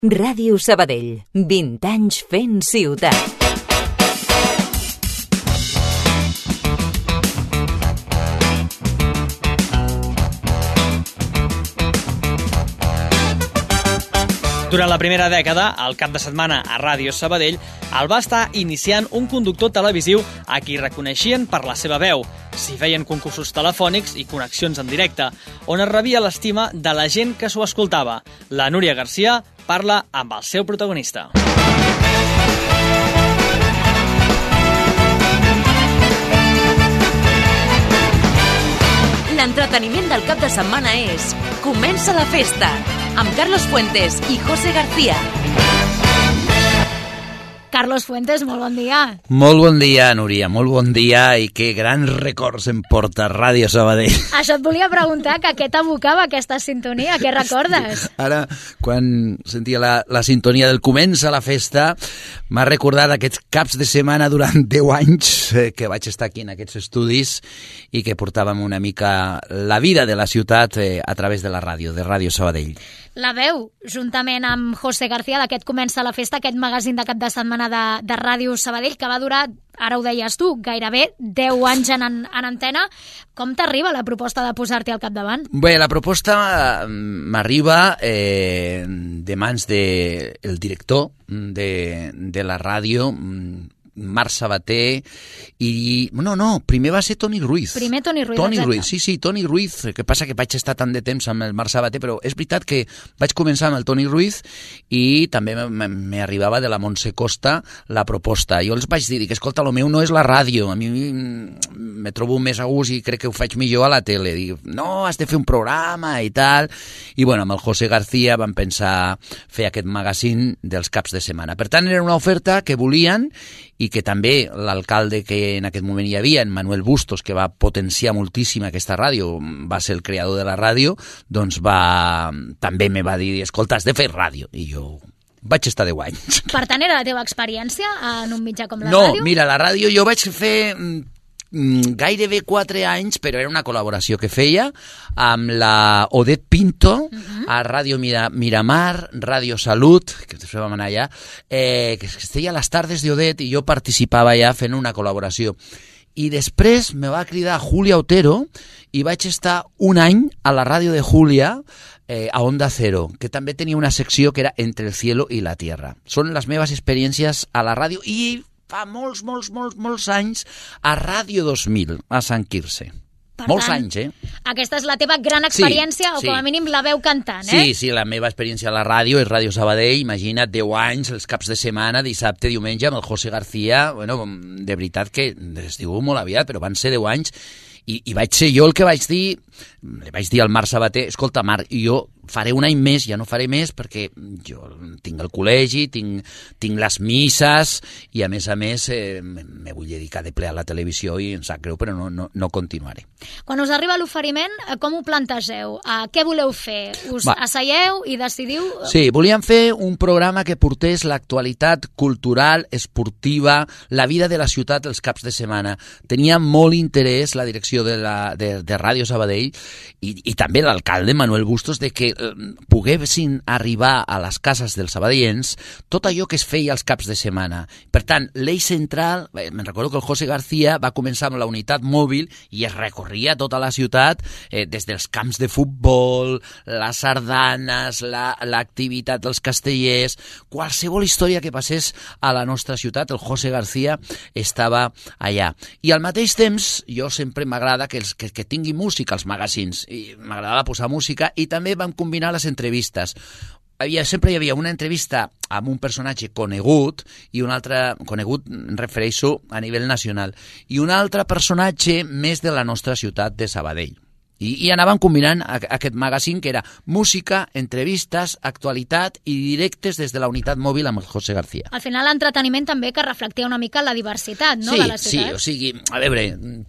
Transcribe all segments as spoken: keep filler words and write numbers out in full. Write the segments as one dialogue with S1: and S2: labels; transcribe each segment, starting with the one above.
S1: Ràdio Sabadell, vint anys fent ciutat.
S2: Durant la primera dècada, el cap de setmana a Ràdio Sabadell el va estar iniciant un conductor televisiu a qui reconeixien per la seva veu. S'hi feien concursos telefònics i connexions en directe, on es rebia l'estima de la gent que s'ho escoltava. La Núria Garcia parla amb el seu protagonista.
S1: L'entreteniment del cap de setmana és Comença la festa, amb Carlos Fuentes i José García.
S3: Carlos Fuentes, molt bon dia.
S4: Molt bon dia, Núria, molt bon dia i que grans records em porta Ràdio Sabadell.
S3: Això et volia preguntar, que què t'evocava aquesta sintonia, què recordes?
S4: Ara, quan sentia la, la sintonia del Comença la festa, m'ha recordat aquests caps de setmana durant deu anys eh, que vaig estar aquí en aquests estudis i que portàvem una mica la vida de la ciutat eh, a través de la ràdio, de Ràdio Sabadell.
S3: La veu, juntament amb José García, d'aquest Comença la festa, aquest magazín de cap de setmana de, de Ràdio Sabadell, que va durar, ara ho deies tu, gairebé deu anys en, en antena. Com t'arriba la proposta de posar-t'hi al capdavant?
S4: Bé, la proposta m'arriba eh, de mans del de, director de, de la ràdio, Marc Sabater, i... No, no, primer va ser Toni Ruiz.
S3: Primer Toni Ruiz,
S4: Toni
S3: exacte.
S4: Ruiz, sí, sí, Toni Ruiz, que passa que vaig estar tant de temps amb el Marc Sabater, però és veritat que vaig començar amb el Toni Ruiz i també m'arribava de la Montse Costa la proposta. Jo els vaig dir que, escolta, el meu no és la ràdio, a mi me trobo més a gust i crec que ho faig millor a la tele. Dic, no, has de fer un programa i tal. I bueno, amb el José García vam pensar fer aquest magazín dels caps de setmana. Per tant, era una oferta que volien i que també l'alcalde que en aquest moment hi havia, en Manuel Bustos, que va potenciar moltíssim aquesta ràdio, va ser el creador de la ràdio, doncs va, també me va dir, escolta, has de fer ràdio. I jo vaig estar deu anys.
S3: Per tant, era la teva experiència en un mitjà com la
S4: no,
S3: ràdio?
S4: No, mira, la ràdio jo vaig fer gairebé quatre anys, però era una col·laboració que feia amb la Odet Pinto, uh-huh. a Ràdio Mira, Miramar, Ràdio Salut, que després vam anar allà, eh, que es deia Les Tardes de Odet, i jo participava allà fent una col·laboració. I després me va cridar Julia Otero i vaig estar un any a la ràdio de Julia, eh, a Onda Cero, que també tenia una secció que era Entre el cielo y la tierra. Són les meves experiències a la ràdio i fa molts, molts, molts, molts anys a Ràdio dos mil, a Sant Quirze. Per molts tant, anys, eh?
S3: Aquesta és la teva gran experiència, sí, o com a
S4: sí.
S3: mínim la veu cantant, eh?
S4: Sí, sí, la meva experiència a la ràdio és Ràdio Sabadell, imagina't, deu anys, els caps de setmana, dissabte, diumenge, amb el José García, bueno, de veritat que es diu molt aviat, però van ser deu anys, i, i vaig ser jo el que vaig dir, li vaig dir al Marc Sabater, escolta, Marc, jo faré un any més, ja no faré més, perquè jo tinc el col·legi, tinc, tinc les misses, i a més a més eh, me vull dedicar de ple a la televisió i em sap greu, però no, no, no continuaré.
S3: Quan us arriba l'oferiment, com ho plantegeu? Uh, què voleu fer? Us
S4: Va.
S3: asseieu i decidiu?
S4: Sí, volíem fer un programa que portés l'actualitat cultural, esportiva, la vida de la ciutat els caps de setmana. Tenia molt interès la direcció de, la, de, de Ràdio Sabadell i, i també l'alcalde Manuel Bustos de que poguessin arribar a les cases dels sabadellencs tot allò que es feia els caps de setmana. Per tant, l'eix central, me'n recordo que el José García va començar amb la unitat mòbil i es recorria tota la ciutat, eh, des dels camps de futbol, les sardanes, la, l'activitat dels castellers, qualsevol història que passés a la nostra ciutat, el José García estava allà. I al mateix temps, jo sempre m'agrada que, els, que, que tingui música als magazins, i m'agradava posar música, i també vam combinar les entrevistes. Havia, sempre hi havia una entrevista amb un personatge conegut, i un altre, conegut em refereixo a nivell nacional, i un altre personatge més de la nostra ciutat de Sabadell. I, i anàvem combinant aquest magazín que era música, entrevistes, actualitat i directes des de la unitat mòbil amb el José García.
S3: Al final l'entreteniment també que reflectia una mica la diversitat, no?,
S4: sí,
S3: de la ciutat.
S4: Sí, o sigui, a veure,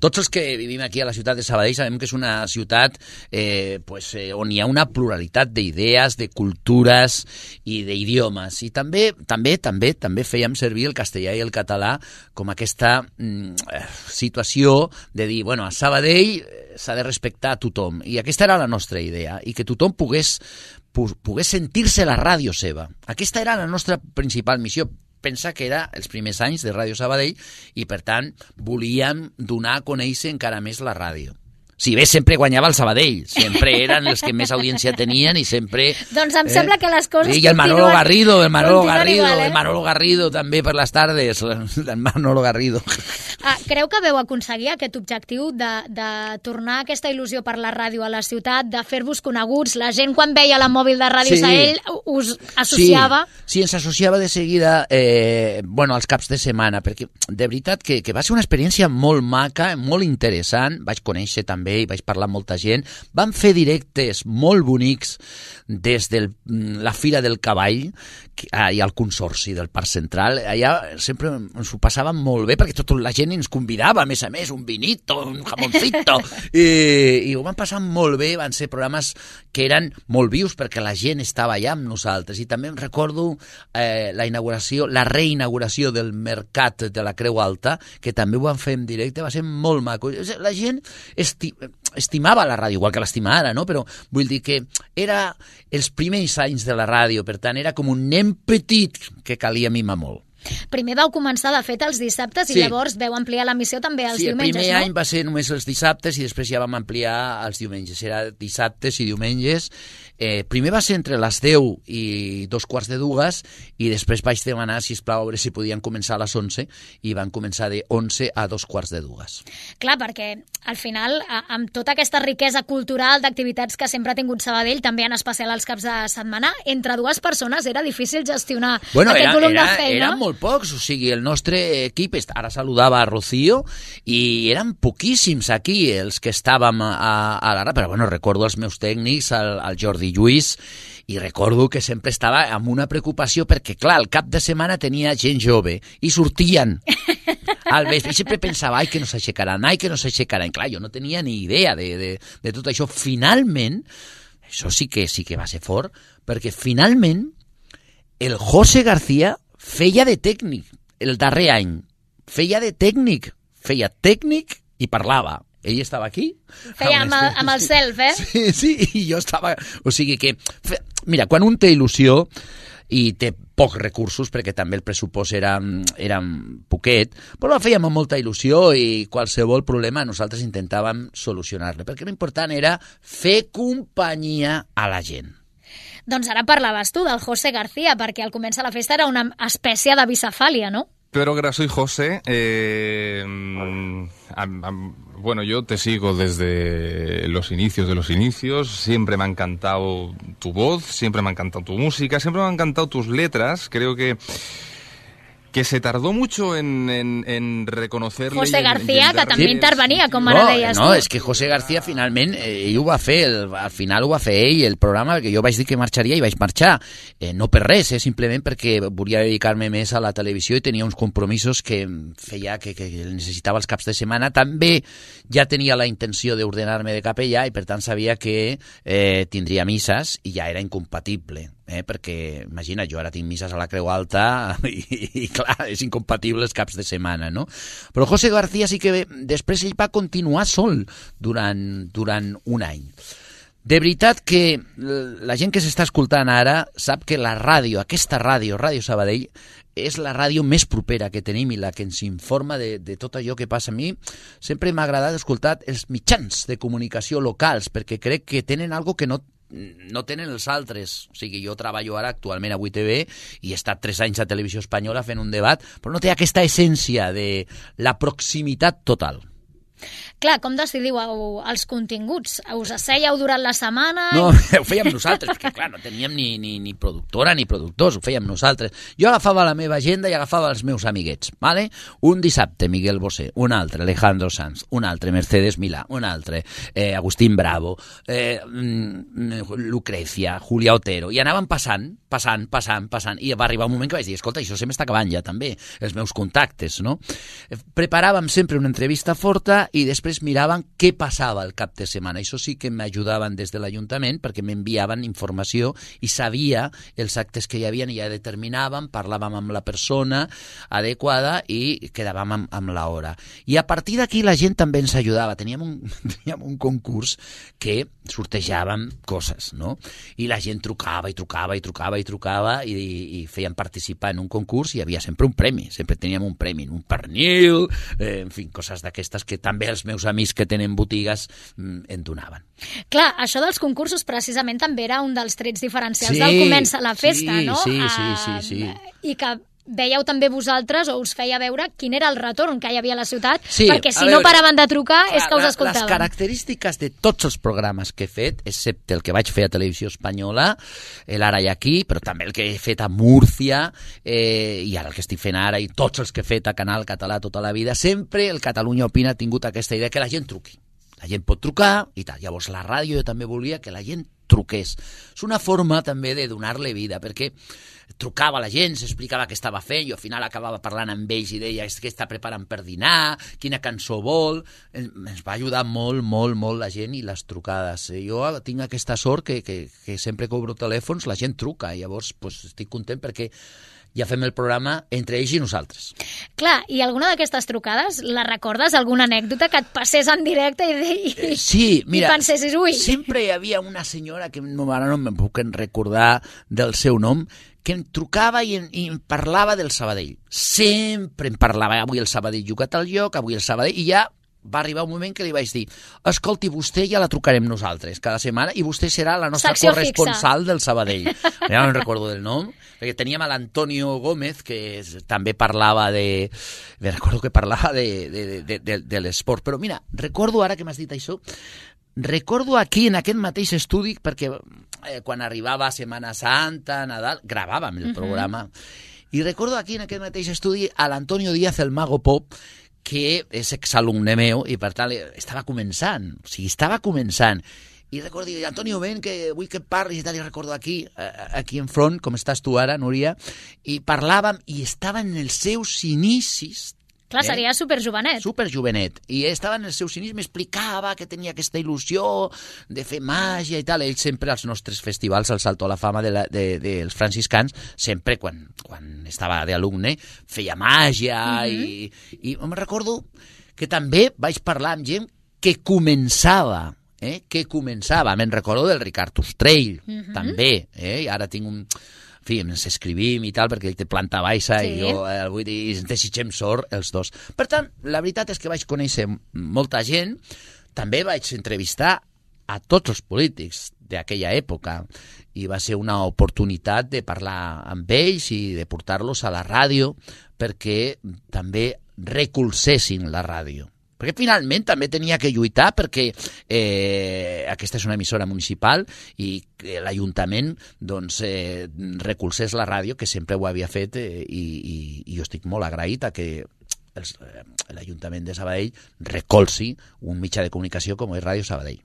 S4: tots els que vivim aquí a la ciutat de Sabadell sabem que és una ciutat eh, pues, eh, on hi ha una pluralitat d'idees, de cultures i d'idiomes. I també, també, també, també fèiem servir el castellà i el català com aquesta mm, situació de dir, bueno, a Sabadell s'ha de respectar a tothom, i aquesta era la nostra idea, i que tothom pogués pogués sentir-se la ràdio seva. Aquesta era la nostra principal missió. Pensa que era els primers anys de Ràdio Sabadell i, per tant, volíem donar a conèixer encara més la ràdio. Si bé sempre guanyava el Sabadell, sempre eren els que més audiència tenien i sempre...
S3: Doncs em eh? sembla que les coses
S4: I el Manolo
S3: continuen,
S4: Garrido, el Manolo Garrido,
S3: igual, eh?
S4: el Manolo Garrido també per les tardes, el Manolo Garrido.
S3: Ah, creu que veu aconseguir aquest objectiu de, de tornar aquesta il·lusió per la ràdio a la ciutat, de fer-vos coneguts? La gent quan veia la mòbil de Ràdio
S4: sí.
S3: Sabadell us associava?
S4: Sí, sí, ens associava de seguida eh, bueno, als caps de setmana, perquè de veritat que, que va ser una experiència molt maca, molt interessant, vaig conèixer també i vaig parlar amb molta gent. Vam fer directes molt bonics des de la Fira del Cavall i al Consorci del Parc Central. Allà sempre ens ho passàvem molt bé perquè tota la gent ens convidava, a més a més, un vinito, un jamoncito, i, i ho vam passar molt bé. Van ser programes que eren molt vius perquè la gent estava allà amb nosaltres. I també em recordo eh, la inauguració, la reinauguració del Mercat de la Creu Alta, que també ho vam fer en directe, va ser molt maco. La gent esti estimava la ràdio, igual que l'estima ara, no? Però vull dir que era els primers anys de la ràdio, per tant era com un nen petit que calia mimar molt.
S3: Primer vau començar, de fet, els dissabtes i
S4: sí.
S3: llavors veu ampliar l'emissió també els
S4: sí,
S3: diumenges, no?
S4: Sí, el primer any va ser només els dissabtes i després ja vam ampliar els diumenges. Era dissabtes i diumenges. Eh, primer va ser entre les deu i dos quarts de dues i després vaig demanar, sisplau, a veure si podien començar a les onze i van començar de onze a dos quarts de dues.
S3: Clar, perquè al final, amb tota aquesta riquesa cultural d'activitats que sempre ha tingut Sabadell, també en especial els caps de setmana, entre dues persones era difícil gestionar
S4: bueno,
S3: aquest
S4: era,
S3: volum
S4: era,
S3: de feina.
S4: Eren molt pocs, o sigui, el nostre equip, ara saludava a Rocío, i eren poquíssims aquí els que estàvem a, a l'ara, però bueno, recordo els meus tècnics, el, el Jordi Lluís, i recordo que sempre estava amb una preocupació perquè, clar, el cap de setmana tenia gent jove i sortien al vespre i sempre pensava, ai, que no s'aixecaran, ai, que no s'aixecaran. Clar, jo no tenia ni idea de, de, de tot això. Finalment, això sí que sí que va ser fort, perquè finalment el José García feia de tècnic el darrer any. Feia de tècnic, feia tècnic i parlava. Ell estava aquí.
S3: Feia amb el, amb el self, eh?
S4: Sí, sí, i jo estava... O sigui que... Mira, quan un té il·lusió i té pocs recursos, perquè també el pressupost era, era poquet, però la fèiem amb molta il·lusió i qualsevol problema nosaltres intentàvem solucionar-lo, perquè l'important era fer companyia a la gent.
S3: Doncs ara parlaves tu del José García, perquè al començar la festa era una espècie de bicefàlia, no?
S5: Pero que soy José, eh, a, a, bueno, yo te sigo desde los inicios de los inicios, siempre me ha encantado tu voz, siempre me ha encantado tu música, siempre me han encantado tus letras, creo que que se tardó mucho en, en, en reconocerle...
S3: José García, en, en que també
S4: sí.
S3: intervenia, com
S4: no,
S3: ara deies
S4: no,
S3: tu.
S4: No, és que José García finalment, eh, ell ho va fer, el, al final ho va fer ell, el programa, perquè jo vaig dir que marxaria i vaig marxar. Eh, no per res, eh, simplement perquè volia dedicar-me més a la televisió i tenia uns compromisos que feia que, que necessitava els caps de setmana. També ja tenia la intenció d'ordenar-me de capellà i per tant sabia que eh, tindria misses i ja era incompatible. Eh, perquè, imagina, jo ara tinc misses a la Creu Alta i, i clar, és incompatible els caps de setmana, no? Però José García sí que després ell va continuar sol durant, durant un any. De veritat que la gent que s'està escoltant ara sap que la ràdio, aquesta ràdio, Ràdio Sabadell, és la ràdio més propera que tenim i la que ens informa de, de tot allò que passa. A mi sempre m'ha agradat escoltar els mitjans de comunicació locals perquè crec que tenen algo que no no tenen els altres. O sigui, jo treballo ara actualment a vuit T V i he estat tres anys a Televisió Espanyola fent un debat, però no té aquesta essència de la proximitat total.
S3: Clar, com decidiu els continguts? Us assèieu durant la setmana?
S4: No, ho fèiem nosaltres, perquè clar, no teníem ni, ni, ni productora ni productors, ho fèiem nosaltres. Jo agafava la meva agenda i agafava els meus amiguets, ¿vale? Un dissabte Miguel Bosé, un altre Alejandro Sanz, un altre Mercedes Milà, un altre eh, Agustín Bravo, eh, Lucrecia, Julia Otero, i anaven passant, passant, passant, passant, i va arribar un moment que vaig dir, escolta, això se m'està acabant ja també, els meus contactes, no? Preparàvem sempre una entrevista forta i després miraven què passava el cap de setmana. Això sí que m'ajudaven des de l'Ajuntament perquè m'enviaven informació i sabia els actes que hi havia i ja determinàvem, parlàvem amb la persona adequada i quedàvem amb, amb l'hora. I a partir d'aquí la gent també ens ajudava. Teníem un, teníem un concurs que sortejàvem coses, no? I la gent trucava i trucava i trucava i trucava i, i feien participar en un concurs i hi havia sempre un premi, sempre teníem un premi, un pernil, eh, en fi, coses d'aquestes que també els meus amics que tenen botigues mm, en donaven.
S3: Clar, això dels concursos precisament també era un dels trets diferencials
S4: sí,
S3: del Comença la Festa,
S4: sí,
S3: no?
S4: Sí, sí, sí, sí.
S3: Uh, I que veieu també vosaltres, o us feia veure quin era el retorn que hi havia a la ciutat,
S4: sí,
S3: perquè si
S4: veure,
S3: no paraven de trucar és que us
S4: la,
S3: escoltaven.
S4: Les característiques de tots els programes que he fet, excepte el que vaig fer a Televisió Espanyola, l'Ara i aquí, però també el que he fet a Múrcia, eh, i ara el que estic fent ara, i tots els que he fet a Canal Català tota la vida, sempre el Catalunya Opina ha tingut aquesta idea que la gent truqui. La gent pot trucar i tal. Llavors la ràdio jo també volia que la gent truqués. És una forma també de donar-li vida, perquè trucava la gent, s'explicava què estava fent, jo al final acabava parlant amb ells i deia què està preparant per dinar, quina cançó vol. Ens va ajudar molt, molt, molt la gent i les trucades. Jo tinc aquesta sort que, que, que sempre que obro telèfons la gent truca, i llavors pues, estic content perquè ja fem el programa entre ells i nosaltres.
S3: Clar, i alguna d'aquestes trucades, la recordes? Alguna anècdota que et passés en directe i, i,
S4: sí, mira,
S3: i pensessis, ui...
S4: sempre hi havia una senyora que no, ara no em puc recordar del seu nom, que em trucava i em, i em parlava del Sabadell. Sempre em parlava, avui el Sabadell juga a tal lloc, avui el Sabadell, i ja va arribar un moment que li vaig dir, escolti, vostè ja la trucarem nosaltres cada setmana i vostè serà la nostra
S3: secció
S4: corresponsal
S3: fixa
S4: del Sabadell. Ja no recordo del nom, perquè teníem a l'Antonio Gómez, que també parlava de... Me recordo que parlava de, de, de, de, de l'esport. Però mira, recordo, ara que m'has dit això, recordo aquí, en aquest mateix estudi, perquè eh, quan arribava Setmana Santa, Nadal, gravàvem el programa, uh-huh. I recordo aquí, en aquest mateix estudi, a l'Antonio Díaz, el Mago Pop, que és exalumne meu i per tant estava començant, o sigui, estava començant. I recordo, Antonio, ven, que vull que parlis i tal, i recordo aquí, aquí en front, com estàs tu ara, Núria, i parlàvem i estava en els seus inicis.
S3: Clar, seria eh? superjovenet.
S4: Superjovenet. I estava en els seus inicis, m'explicava que tenia aquesta il·lusió de fer màgia i tal. Ell sempre als nostres festivals, al Salto a la Fama dels de, de, de franciscans, sempre quan, quan estava d'alumne, feia màgia uh-huh. i, i em recordo que també vaig parlar amb gent que començava, eh? que començava. Me'n recordo del Ricard Ostrell, uh-huh. també. Eh? I ara tinc un... En fi, ens escrivim i tal, perquè ell té planta baixa sí. i jo eh, vull dir, ens desitgem sort els dos. Per tant, la veritat és que vaig conèixer molta gent, també vaig entrevistar a tots els polítics d'aquella època i va ser una oportunitat de parlar amb ells i de portar-los a la ràdio perquè també recolzessin la ràdio. Perquè finalment també tenia que lluitar perquè eh, aquesta és una emissora municipal i l'Ajuntament doncs, eh, recolzés la ràdio, que sempre ho havia fet, eh, i, i, i jo estic molt agraït a que els, eh, l'Ajuntament de Sabadell recolzi un mitjà de comunicació com és Ràdio Sabadell.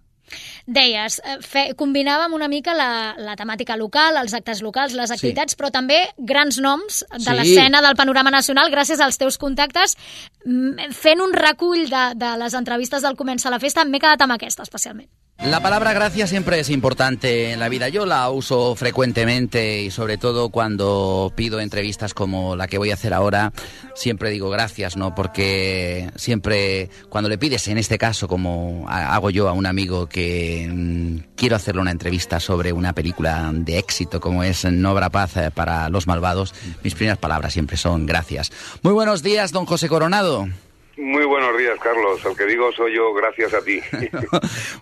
S3: Deies, fe, combinàvem una mica la, la temàtica local, els actes locals, les activitats, sí. però també grans noms de sí. l'escena del panorama nacional, gràcies als teus contactes. Fent un recull de, de les entrevistes del Comença la Festa, m'he quedat amb aquesta especialment.
S6: La palabra gracias siempre es importante en la vida. Yo la uso frecuentemente y sobre todo cuando pido entrevistas como la que voy a hacer ahora, siempre digo gracias, ¿no? Porque siempre cuando le pides, en este caso, como hago yo a un amigo que mmm, quiero hacerle una entrevista sobre una película de éxito como es No habrá paz para los malvados, mis primeras palabras siempre son gracias. Muy buenos días, don José Coronado.
S7: Muy buenos días, Carlos. El que digo soy yo, gracias a ti.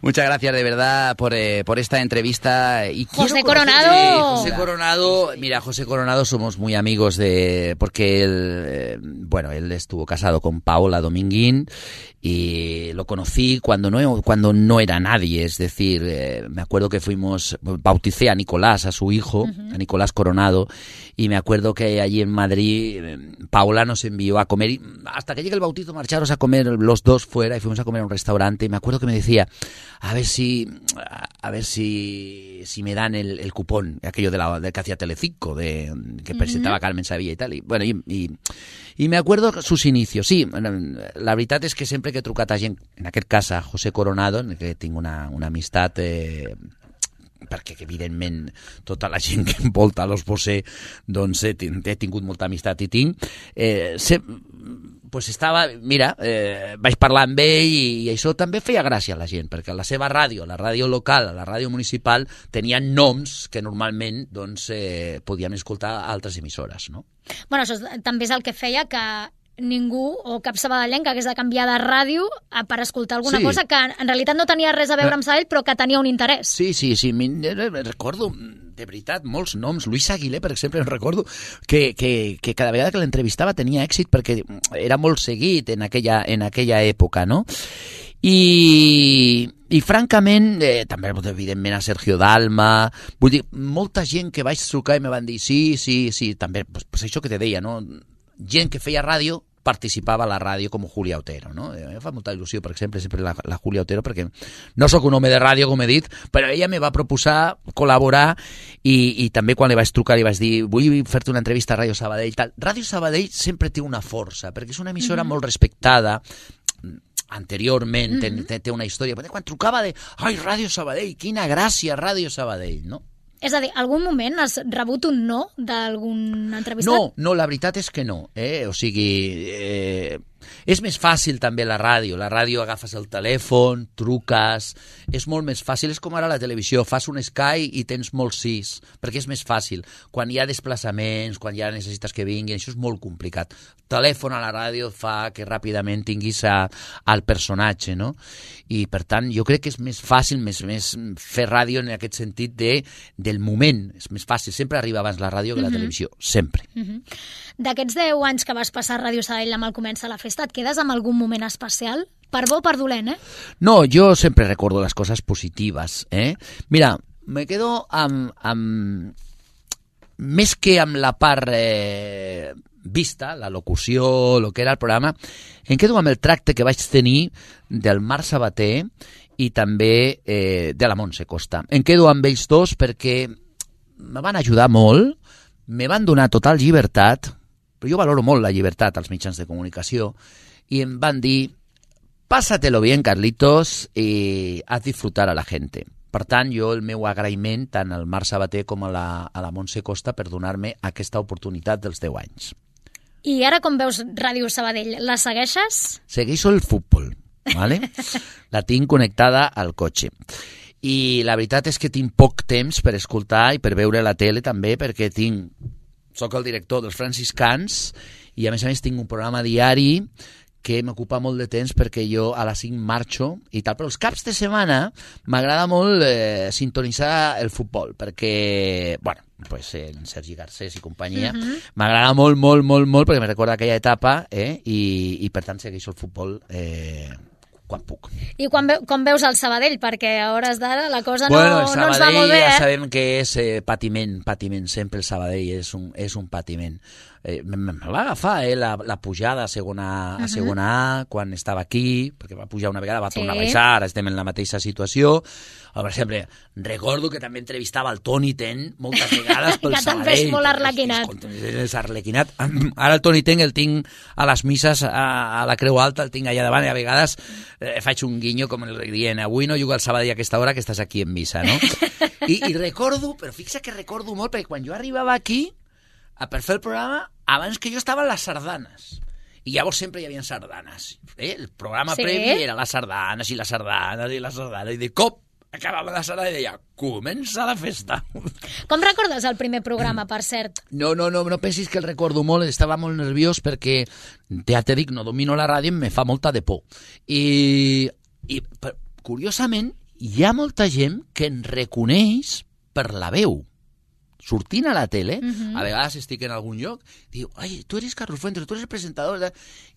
S6: Muchas gracias de verdad por, eh, por esta entrevista. Y
S3: José
S6: Coronado.
S4: Sí, José Coronado, mira, José Coronado somos muy amigos de, porque él, eh, bueno, él estuvo casado con Paola Dominguín y lo conocí cuando no, cuando no era nadie, es decir, eh, me acuerdo que fuimos, bauticé a Nicolás, a su hijo, uh-huh. a Nicolás Coronado, y me acuerdo que allí en Madrid eh, Paola nos envió a comer, y hasta que llegue el bautizo marcharos a comer los dos fuera y fuimos a comer a un restaurante y me acuerdo que me decía, a ver si a ver si, si me dan el, el cupón, aquello de la, de que hacía Telecinco, de, que presentaba uh-huh. Carmen Sevilla y tal. I, bueno, i, i, I me acuerdo sus inicios. Sí, la veritat és que sempre que he trucat a gent, en aquest cas a José Coronado, en que tinc una, una amistat... Eh, perquè evidentment tota la gent que envolta l'Os Bosé doncs he, he tingut molta amistat i tinc eh, se, pues estava, mira, eh, vaig parlar amb ell i, i això també feia gràcia a la gent, perquè la seva ràdio, la ràdio local, la ràdio municipal tenien noms que normalment doncs, eh, podíem escoltar a altres emissores, no?
S3: Bueno, això també és el que feia que ningú o cap sabadellenc hagués de canviar de ràdio per escoltar alguna sí. cosa que en realitat no tenia res a veure amb Sabadell però que tenia un interès.
S4: Sí, sí, sí, recordo de veritat molts noms. Luis Aguilé, per exemple, recordo que, que, que cada vegada que l'entrevistava tenia èxit perquè era molt seguit en aquella, en aquella època, no? I, i francament, eh, també evidentment a Sergio Dalma, vull dir, molta gent que vaig trucar i me van dir sí, sí, sí, també, pues, pues això que te deia, no? Gent que feia ràdio participava a la ràdio com Julia Otero, no? A mi em fa molta il·lusió, per exemple, sempre la, la Julia Otero, perquè no sóc un home de ràdio, com he dit, però ella me va proposar col·laborar i, i també quan li vaig trucar li vaig dir vull fer-te una entrevista a Ràdio Sabadell. Tal. Ràdio Sabadell sempre té una força, perquè és una emissora mm-hmm. molt respectada, anteriorment mm-hmm. té, té una història. Quan trucava de ai, Ràdio Sabadell, quina gràcia Ràdio Sabadell, no?
S3: És a dir, algun moment has rebut un no d'algun entrevistat?
S4: No, no, la veritat és que no. Eh? O sigui, eh, és més fàcil també la ràdio. La ràdio agafes el telèfon, truques, és molt més fàcil. És com ara la televisió, fas un Sky i tens molts sis, perquè és més fàcil. Quan hi ha desplaçaments, quan ja necessites que vinguin, això és molt complicat. Telèfon a la ràdio fa que ràpidament tinguis a, al personatge, no? I per tant jo crec que és més fàcil més, més fer ràdio en aquest sentit de, del moment, és més fàcil, sempre arriba abans la ràdio que la uh-huh. televisió, sempre.
S3: Uh-huh. D'aquests deu anys que vas passar a Ràdio Sabadell amb el Comença la Festa, et quedes amb algun moment especial? Per bo o per dolent, eh?
S4: No, jo sempre recordo les coses positives, eh? Mira, me quedo amb, amb més que amb la part eh, vista, la locució, el que era el programa, em quedo amb el tracte que vaig tenir del Marc Sabater i també eh, de la Montse Costa. Em quedo amb ells dos perquè me van ajudar molt, me van donar total llibertat, però jo valoro molt la llibertat als mitjans de comunicació, i em van dir, pásatelo bien, Carlitos, i haz disfrutar a la gente. Per tant, jo el meu agraïment tant al Marc Sabater com a la, a la Montse Costa per donar-me aquesta oportunitat dels deu anys.
S3: I ara com veus Ràdio Sabadell? La segueixes?
S4: Segueixo el futbol, ¿vale? La tinc connectada al cotxe. I la veritat és que tinc poc temps per escoltar i per veure la tele també, perquè tinc, soc el director dels franciscans i a més a més tinc un programa diari que m'ocupa molt de temps perquè jo a les cinc marxo i tal, però els caps de setmana m'agrada molt eh, sintonitzar el futbol, perquè, bueno, pues, eh, Sergi Garcés i companyia, uh-huh. m'agrada molt, molt, molt, molt, perquè me recorda aquella etapa, eh, i, i per tant segueixo el futbol eh, quan puc.
S3: I quan ve, com veus el Sabadell? Perquè a hores d'ara la cosa
S4: bueno,
S3: no, no ens va molt bé, eh?
S4: Ja sabem que és eh, patiment, patiment, sempre el Sabadell és un, és un patiment. Eh, me, me va agafar eh, la, la pujada a segona, a segona A quan estava aquí, perquè va pujar una vegada, va tornar sí. a baixar, ara estem en la mateixa situació. O, per exemple, recordo que també entrevistava el Toni Ten moltes vegades pel
S3: que
S4: Sabadell.
S3: Que també és molt arlequinat.
S4: És arlequinat. Ara el Toni Ten el tinc a les misses a, a la Creu Alta, el tinc allà davant i a vegades eh, faig un guinyo com el dient avui no juga al Sabadell a aquesta hora que estàs aquí en missa, no? I, i recordo, però fixa que recordo molt, perquè quan jo arribava aquí a per fer el programa, abans que jo estava a les sardanes. I llavors sempre hi havia sardanes. Eh? El programa sí. previ era les sardanes i les sardanes i les sardanes. I de cop acabava la sala i deia, comença la festa.
S3: Com recordes el primer programa, per cert?
S4: No, no, no, no pensis que el recordo molt, estava molt nerviós perquè, ja te dic, no domino la ràdio i me fa molta de por. I, i per, curiosament, hi ha molta gent que en reconeix per la veu. Sortint a la tele, uh-huh. a vegades estic en algun lloc, diu, ai, tu eres Carlos Fuentes, tu eres el presentador.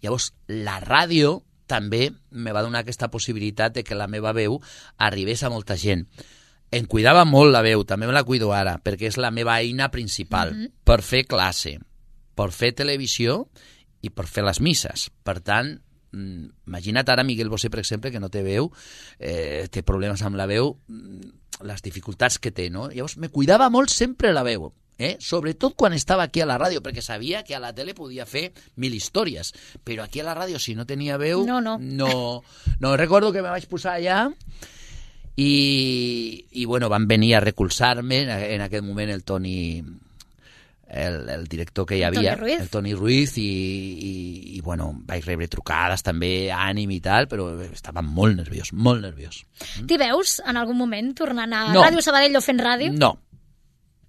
S4: Llavors, la ràdio també me va donar aquesta possibilitat de que la meva veu arribés a molta gent. Em cuidava molt la veu, també me la cuido ara, perquè és la meva eina principal, uh-huh. per fer classe, per fer televisió i per fer les misses. Per tant, imagina't ara Miguel Bosé, per exemple, que no té veu, eh, té problemes amb la veu, les dificultats que té, no? Llavors, me cuidava molt sempre la veu, eh? Sobretot quan estava aquí a la ràdio, perquè sabia que a la tele podia fer mil històries, però aquí a la ràdio, si no tenia veu,
S3: no, no.
S4: no, no recordo que me vaig posar allà i, i bueno, van venir a recolzar-me en, en aquest moment el Toni, el, el director que hi havia,
S3: Toni Ruiz.
S4: el Toni Ruiz, i, i, i bueno, vaig rebre trucades també, ànim i tal, però estava molt nerviós, molt nerviós.
S3: T'hi veus en algun moment tornant a
S4: No.
S3: Ràdio Sabadell o fent ràdio?
S4: No.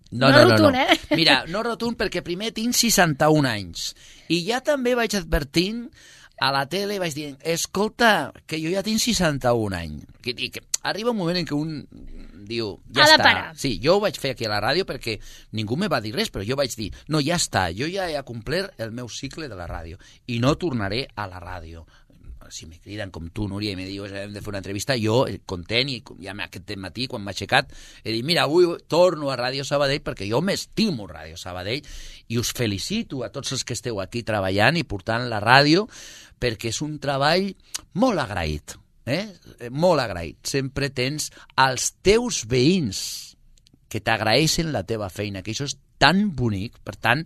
S3: No
S4: No, no, no,
S3: rotund,
S4: no.
S3: eh?
S4: Mira, no rotund perquè primer tinc seixanta-un anys i ja també vaig advertint a la tele, vaig dir, escolta, que jo ja tinc seixanta-un anys. Que, i que arriba un moment en què un diu, ja
S3: Ha de
S4: està.
S3: parar.
S4: Sí, jo ho vaig fer aquí a la ràdio perquè ningú me va dir res, però jo vaig dir, no, ja està, jo ja he complert el meu cicle de la ràdio i no tornaré a la ràdio. Si me criden com tu, Núria, i me dius hem de fer una entrevista, jo, content, i ja aquest matí, quan m'ha aixecat, he dit, mira, avui torno a Ràdio Sabadell perquè jo m'estimo Ràdio Sabadell i us felicito a tots els que esteu aquí treballant i portant la ràdio perquè és un treball molt agraït, eh? Molt agraït. Sempre tens els teus veïns que t'agraeixen la teva feina, que això és tan bonic. Per tant,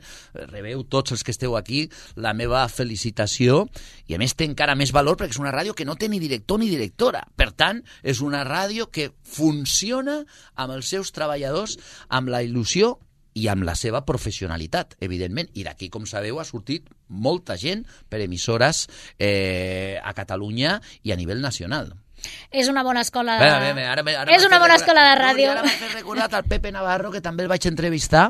S4: rebeu tots els que esteu aquí la meva felicitació i a més té encara més valor perquè és una ràdio que no té ni director ni directora. Per tant, és una ràdio que funciona amb els seus treballadors amb la il·lusió i amb la seva professionalitat, evidentment. I d'aquí, com sabeu, ha sortit molta gent per emissores eh, a Catalunya i a nivell nacional.
S3: És una bona escola de...
S4: Bé, bé, bé, ara, ara
S3: és una bona escola de ràdio.
S4: Ara m'ha fet recordar el Pepe Navarro, que també el vaig entrevistar,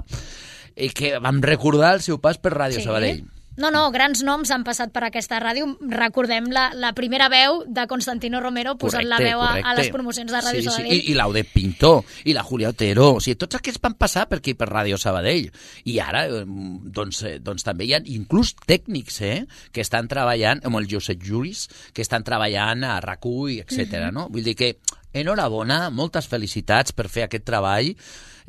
S4: i que vam recordar el seu pas per Ràdio
S3: Sí.
S4: Sabadell.
S3: No, no, grans noms han passat per aquesta ràdio. Recordem la, la primera veu de Constantino Romero posant la veu a, a les promocions de Ràdio
S4: sí,
S3: Sabadell.
S4: Sí, i, i l'Audet Pintor, i la Julia Otero, o sigui, tots aquests van passar per aquí, per Ràdio Sabadell. I ara, eh, doncs, eh, doncs també hi ha inclús tècnics, eh, que estan treballant, amb el Josep Juris, que estan treballant a R A C U, etcètera. Mm-hmm. No? Vull dir que, enhorabona, moltes felicitats per fer aquest treball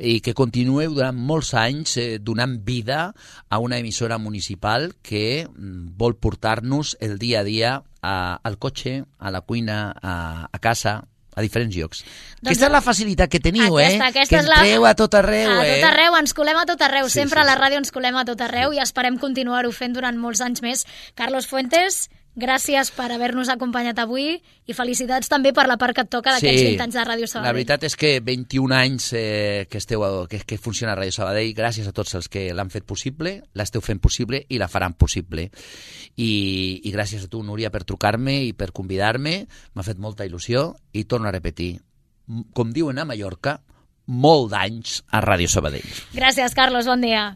S4: i que continueu durant molts anys eh, donant vida a una emissora municipal que mm, vol portar-nos el dia a dia a, al cotxe, a la cuina, a, a casa, a diferents llocs.
S3: Doncs
S4: Aquesta és la facilitat que teniu,
S3: aquesta,
S4: eh?
S3: aquesta
S4: que
S3: és la...
S4: entreu a tot arreu,
S3: a
S4: eh?
S3: tot arreu, ens colem a tot arreu.
S4: Sí,
S3: Sempre
S4: sí,
S3: a la
S4: sí.
S3: ràdio ens colem a tot arreu i esperem continuar-ho fent durant molts anys més. Carlos Fuentes, gràcies per haver-nos acompanyat avui i felicitats també per la part que et toca d'aquests vint anys de Ràdio Sabadell.
S4: La veritat és que vint-i-un anys eh, que, esteu, que, que funciona Ràdio Sabadell, gràcies a tots els que l'han fet possible, l'esteu fent possible i la faran possible. I, i gràcies a tu, Núria, per trucar-me i per convidar-me. M'ha fet molta il·lusió i torno a repetir, com diuen a Mallorca, molt d'anys a Ràdio Sabadell.
S3: Gràcies, Carlos, bon dia.